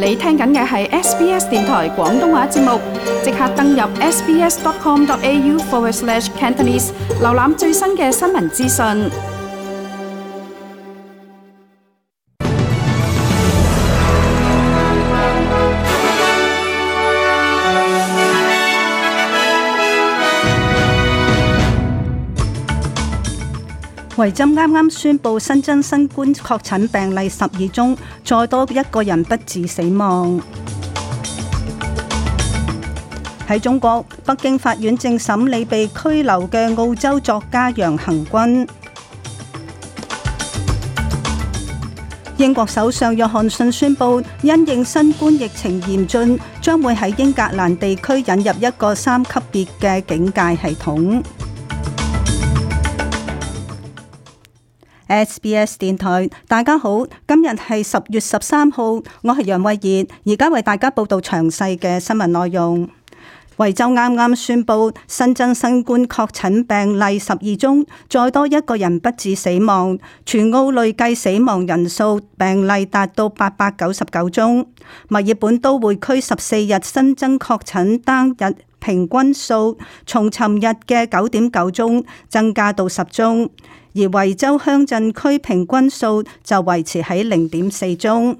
你聽緊嘅係 SBS 電台廣東話節目，即刻登入 sbs.com.au/Cantonese 瀏覽最新嘅新聞資訊。維州啱啱宣布新增新冠確診病例12宗，再多一個人不治死亡。喺中國，北京法院正審理被拘留嘅澳洲作家楊恆均。英國首相約翰遜宣布，因應新冠疫情嚴峻，將會喺英格蘭地區引入一個3級別嘅警戒系統。SBS 電台，大家好，今日係10月13號，我係楊慧儀，而家為大家報道詳細嘅新聞內容。維州啱啱宣布新增新冠確診病例12宗，再多一個人不治死亡，全澳累計死亡人數病例達到899宗。墨爾本都會區14日新增確診單日平均數從尋日嘅9.9宗增加到10宗，而維州鄉鎮區平均數就維持喺0.4宗。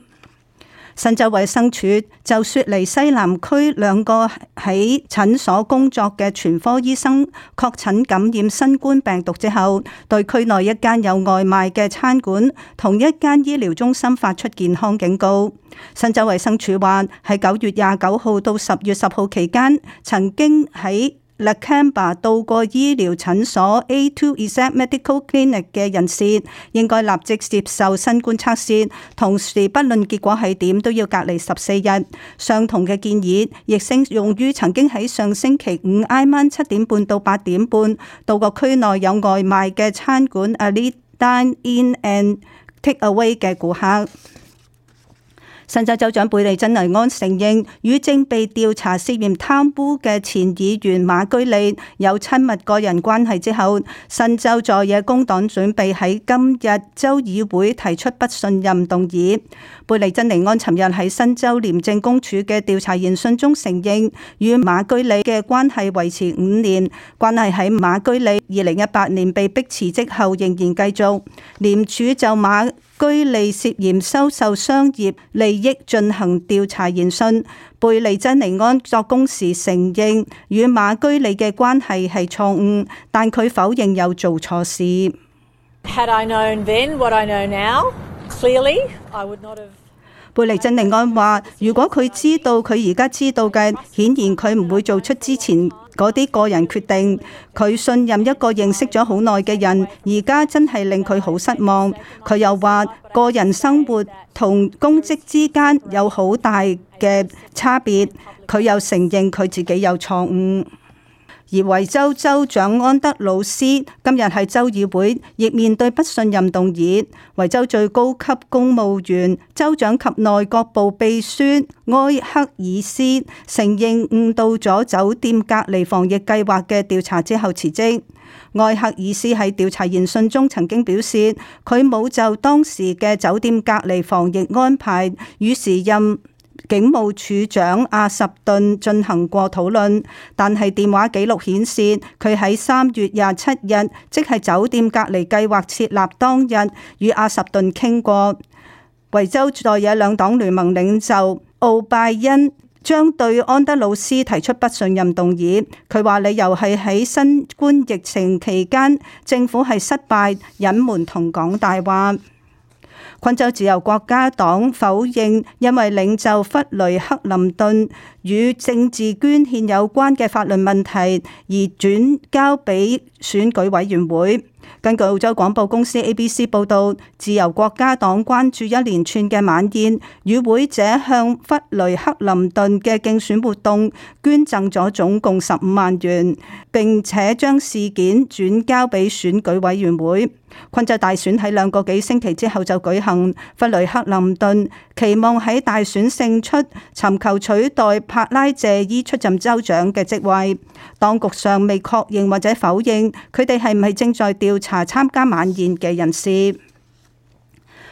新州衛生署就雪梨西南區2個喺診所工作嘅全科醫生確診感染新冠病毒之後，對區內一間有外賣嘅餐館同一間醫療中心發出健康警告。新州衛生署話喺9月29號到10月10號期間，曾經喺Lakemba 到過醫療診所 A2 Exact Medical Clinic 嘅人士，應該立即接受新冠測試，同時不論結果係點都要隔離14日。相同嘅建議亦適用於曾經喺上星期五挨晚7點半到8點半到過區內有外賣嘅餐館 Elite Dine In and Take Away 嘅顧客。新州州長貝利珍尼安承認與正被調查涉嫌貪污嘅前議員馬居利有親密個人關係之後，新州在野工黨準備喺今日州議會提出不信任動議。貝利珍尼安尋日喺新州廉政公署嘅調查研訊中承認，與馬居利嘅關係維持5年，關係喺馬居利2018年被逼辭職後仍然繼續。廉署就馬居利涉嫌收受商業利益進行調查研訊。貝利珍尼安作供時承認與馬居利嘅關係係錯誤，但佢否認有做錯事。Had I known then what I know now, clearly I would not have. 貝利珍尼安話：如果佢知道佢而家知道嘅，顯然佢唔會做出之前嗰啲個人決定。佢信任一個認識咗好耐嘅人，而家真係令佢好失望。佢又話：個人生活同公職之間有好大嘅差別。佢又承認佢自己有錯誤。而維州州長安德魯斯今日喺州議會亦面對不信任動議。維州最高級公務員州長及內閣部秘書埃克爾斯承認誤導咗酒店隔離防疫計劃嘅調查之後辭職。埃克爾斯喺調查研訊中曾經表示，佢冇就當時嘅酒店隔離防疫安排與時任警務處長阿什頓進行過討論，但係電話記錄顯示佢喺3月27日，即係酒店隔離計劃設立當日，與阿什頓傾過。維州在野兩黨聯盟領袖奧拜恩將對安德魯斯提出不信任動議，佢話理由係喺新冠疫情期間，政府係失敗、隱瞞同講大話。昆州自由國家黨否認因為領袖弗雷克林頓與政治捐獻有關嘅法律問題而轉交俾選舉委員會。根據澳洲廣播公司 ABC 報導，自由國家黨關注一連串嘅晚宴，與會者向弗雷克林頓嘅競選活動捐贈咗總共15萬元，並且將事件轉交俾選舉委員會。昆州大選喺2個幾星期之後就舉行，弗雷克林頓期望喺大選勝出，尋求取代帕拉謝伊出任州長嘅職位。當局尚未確認或者否認佢哋係唔係正在調查參加晚宴嘅人士。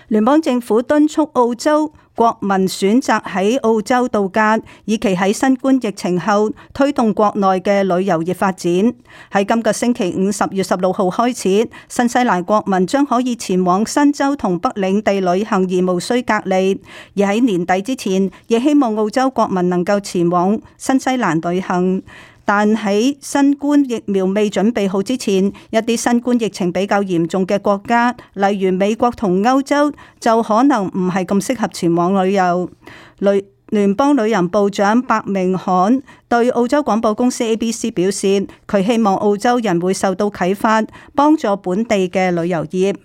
聯邦政府敦促澳洲國民選擇喺澳洲度假，以期喺新冠疫情後推動國內嘅旅遊業發展。喺今個星期五10月16號開始，新西蘭國民將可以前往新州同北領地旅行而無需隔離。而喺年底之前，亦希望澳洲國民能夠前往新西蘭旅行。但喺新冠疫苗未準備好之前，一啲新冠疫情比較嚴重嘅國家，例如美國同歐洲，就可能唔係咁適合前往旅遊。聯邦旅遊部長白明罕對澳洲廣播公司 ABC 表示，佢希望澳洲人會受到啟發，幫助本地嘅旅遊業。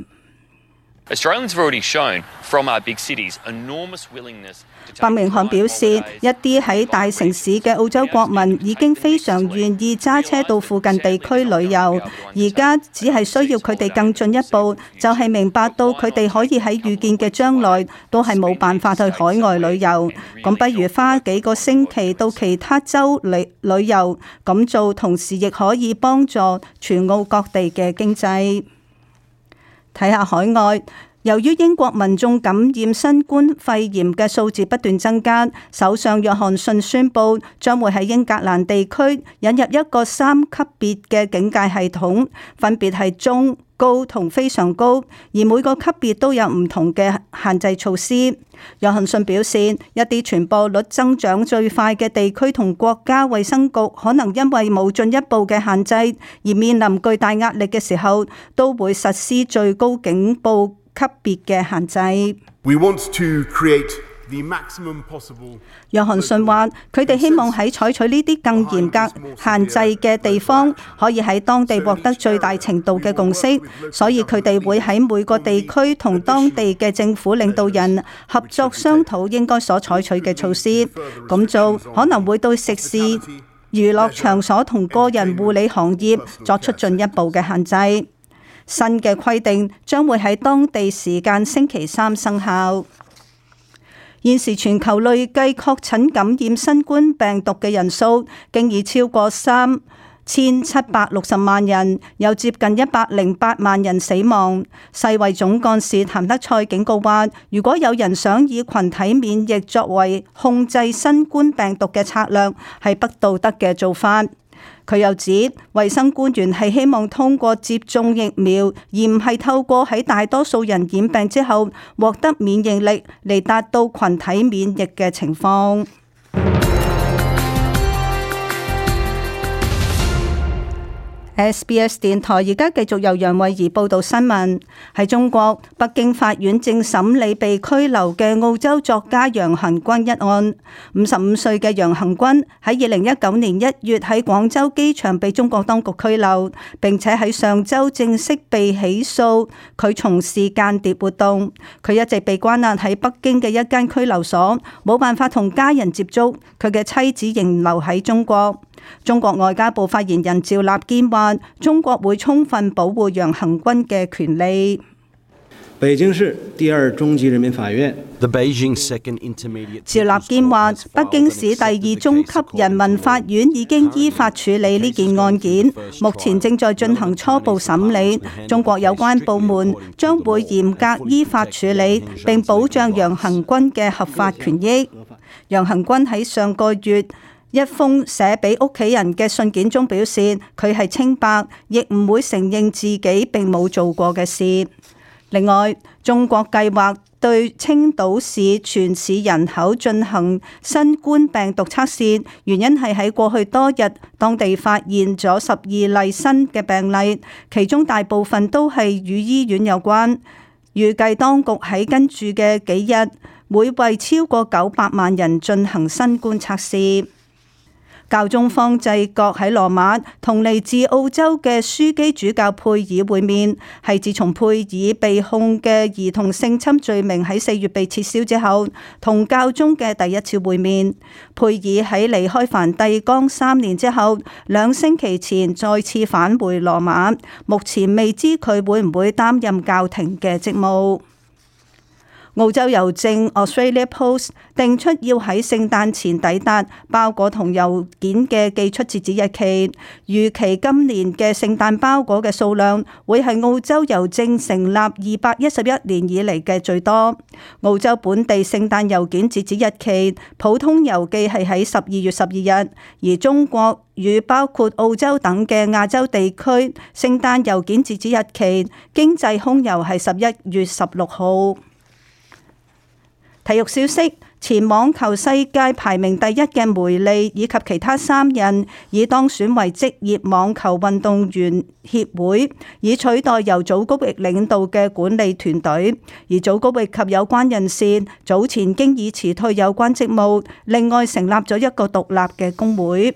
白明罕表示，一啲喺大城市嘅澳洲國民已經非常願意揸車到附近地區旅遊，而家只係需要佢哋更進一步，就係明白到佢哋可以喺預見嘅將來都係冇辦法去海外旅遊，咁不如花幾個星期到其他州旅遊，咁做同時亦可以幫助全澳各地嘅經濟。睇下海外。由於英國民眾感染新冠肺炎嘅數字不斷增加，首相約翰遜宣布將會喺英格蘭地區引入一個3級別嘅警戒系統，分別係中、高同非常高，而每個級別都有唔同嘅限制措施。約翰遜表示，一啲傳播率增長最快嘅地區同國家衛生局可能因為冇進一步嘅限制而面臨巨大壓力嘅時候，都會實施最高警報級別嘅限制。約翰遜話：佢哋希望喺採取呢啲更嚴格限制嘅地方，可以喺當地獲得最大程度嘅共識，所以佢哋會喺每個地區同當地嘅政府領導人合作商討應該所採取嘅措施。咁做可能會對食肆、娛樂場所同個人護理行業作出進一步嘅限制。新嘅規定將會喺當地時間星期3生效。現時全球累計確診感染新冠病毒嘅人數，經已超過3760萬人，有接近108萬人死亡。世衛總幹事譚德塞警告話，如果有人想以群體免疫作為控制新冠病毒嘅策略，係不道德嘅做法。佢又指，衛生官員係希望通過接種疫苗，而唔係透過喺大多數人染病之後獲得免疫力嚟達到群體免疫嘅情況。SBS 電台而家繼續由楊慧儀報道新聞。喺中國，北京法院正審理被拘留嘅澳洲作家楊恆均一案。55歲嘅楊恆均喺2019年1月喺廣州機場被中國當局拘留，並且喺上週正式被起訴，佢從事間諜活動。佢一直被關押喺北京嘅一間拘留所，冇辦法同家人接觸。佢嘅妻子仍留喺中國。中國外交部發言人趙立堅話：中國會充分保護楊恆均嘅權利。北京市第二中級人民法院。趙立堅話：北京市第二中級人民法院已經依法處理呢件案件，目前正在進行初步審理。中國有關部門將會嚴格依法處理，並保障楊恆均嘅合法權益。楊恆均喺上個月一封寫俾屋企人嘅信件中表示，佢係清白，亦唔會承認自己並冇做過嘅事。另外，中國計劃對青島市全市人口進行新冠病毒測試，原因係喺過去多日，當地發現咗12例新嘅病例，其中大部分都係與醫院有關。預計當局喺跟住嘅幾日會為超過900萬人進行新冠測試。教宗方濟各喺羅馬同嚟自澳洲嘅樞機主教佩爾會面，係自從佩爾被控嘅兒童性侵罪名喺4月被撤銷之後，同教宗嘅第一次會面。佩爾喺離開梵蒂岡3年之後，2星期前再次返回羅馬，目前未知佢會唔會擔任教廷嘅職務。澳洲郵政 Australia Post 定出要喺聖誕前抵達包裹同郵件嘅寄出截止日期，預期今年嘅聖誕包裹嘅數量會係澳洲郵政成立211年以嚟嘅最多。澳洲本地聖誕郵件截止日期，普通郵寄係喺12月12日，而中國與包括澳洲等嘅亞洲地區聖誕郵件截止日期，經濟空郵係11月16號。體育消息，前網球世界排名第一嘅梅利以及其他3人已當選為職業網球運動員協會，以取代由祖高域領導嘅管理團隊。而祖高域及有關人士早前經已辭退有關職務，另外成立咗一個獨立嘅工會。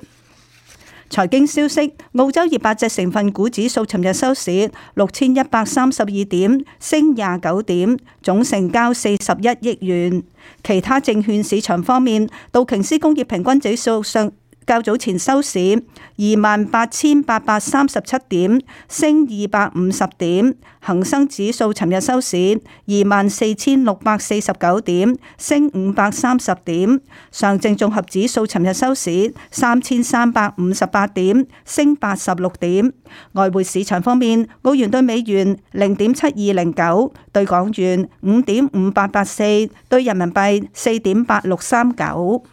財經消息，澳洲200隻成分股指數尋日收市6132點，升29點，總成交41億元。其他證券市場方面，道瓊斯工業平均指數較早前收市28,837點，升250點；恒生指數尋日收市24,649點，升530點；上證綜合指數尋日收市3,358點，升86點。外匯市場方面，澳元對美元0.7209，對港元5.5884，對人民幣4.8639。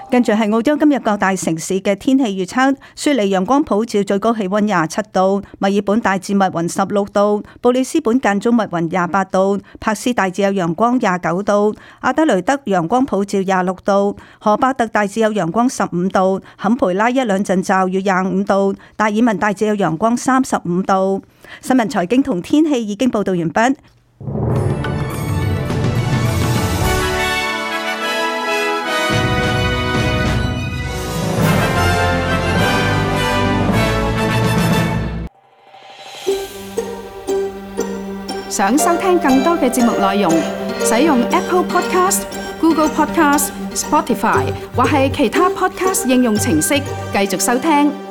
跟住係澳洲今日各大城市嘅天氣預測：雪梨陽光普照，最高氣溫27度；墨爾本大致密雲16度；布里斯本間中密雲28度；柏斯大致有陽光29度；阿德雷德陽光普照26度；荷巴特大致有陽光15度；坎培拉一兩陣驟雨25度；達爾文大致有陽光35度。新聞財經同天氣已經報道完畢。想收聽更多嘅節目內容，使用 Apple Podcast、Google Podcast、Spotify 或係其他 Podcast 應用程式繼續收聽。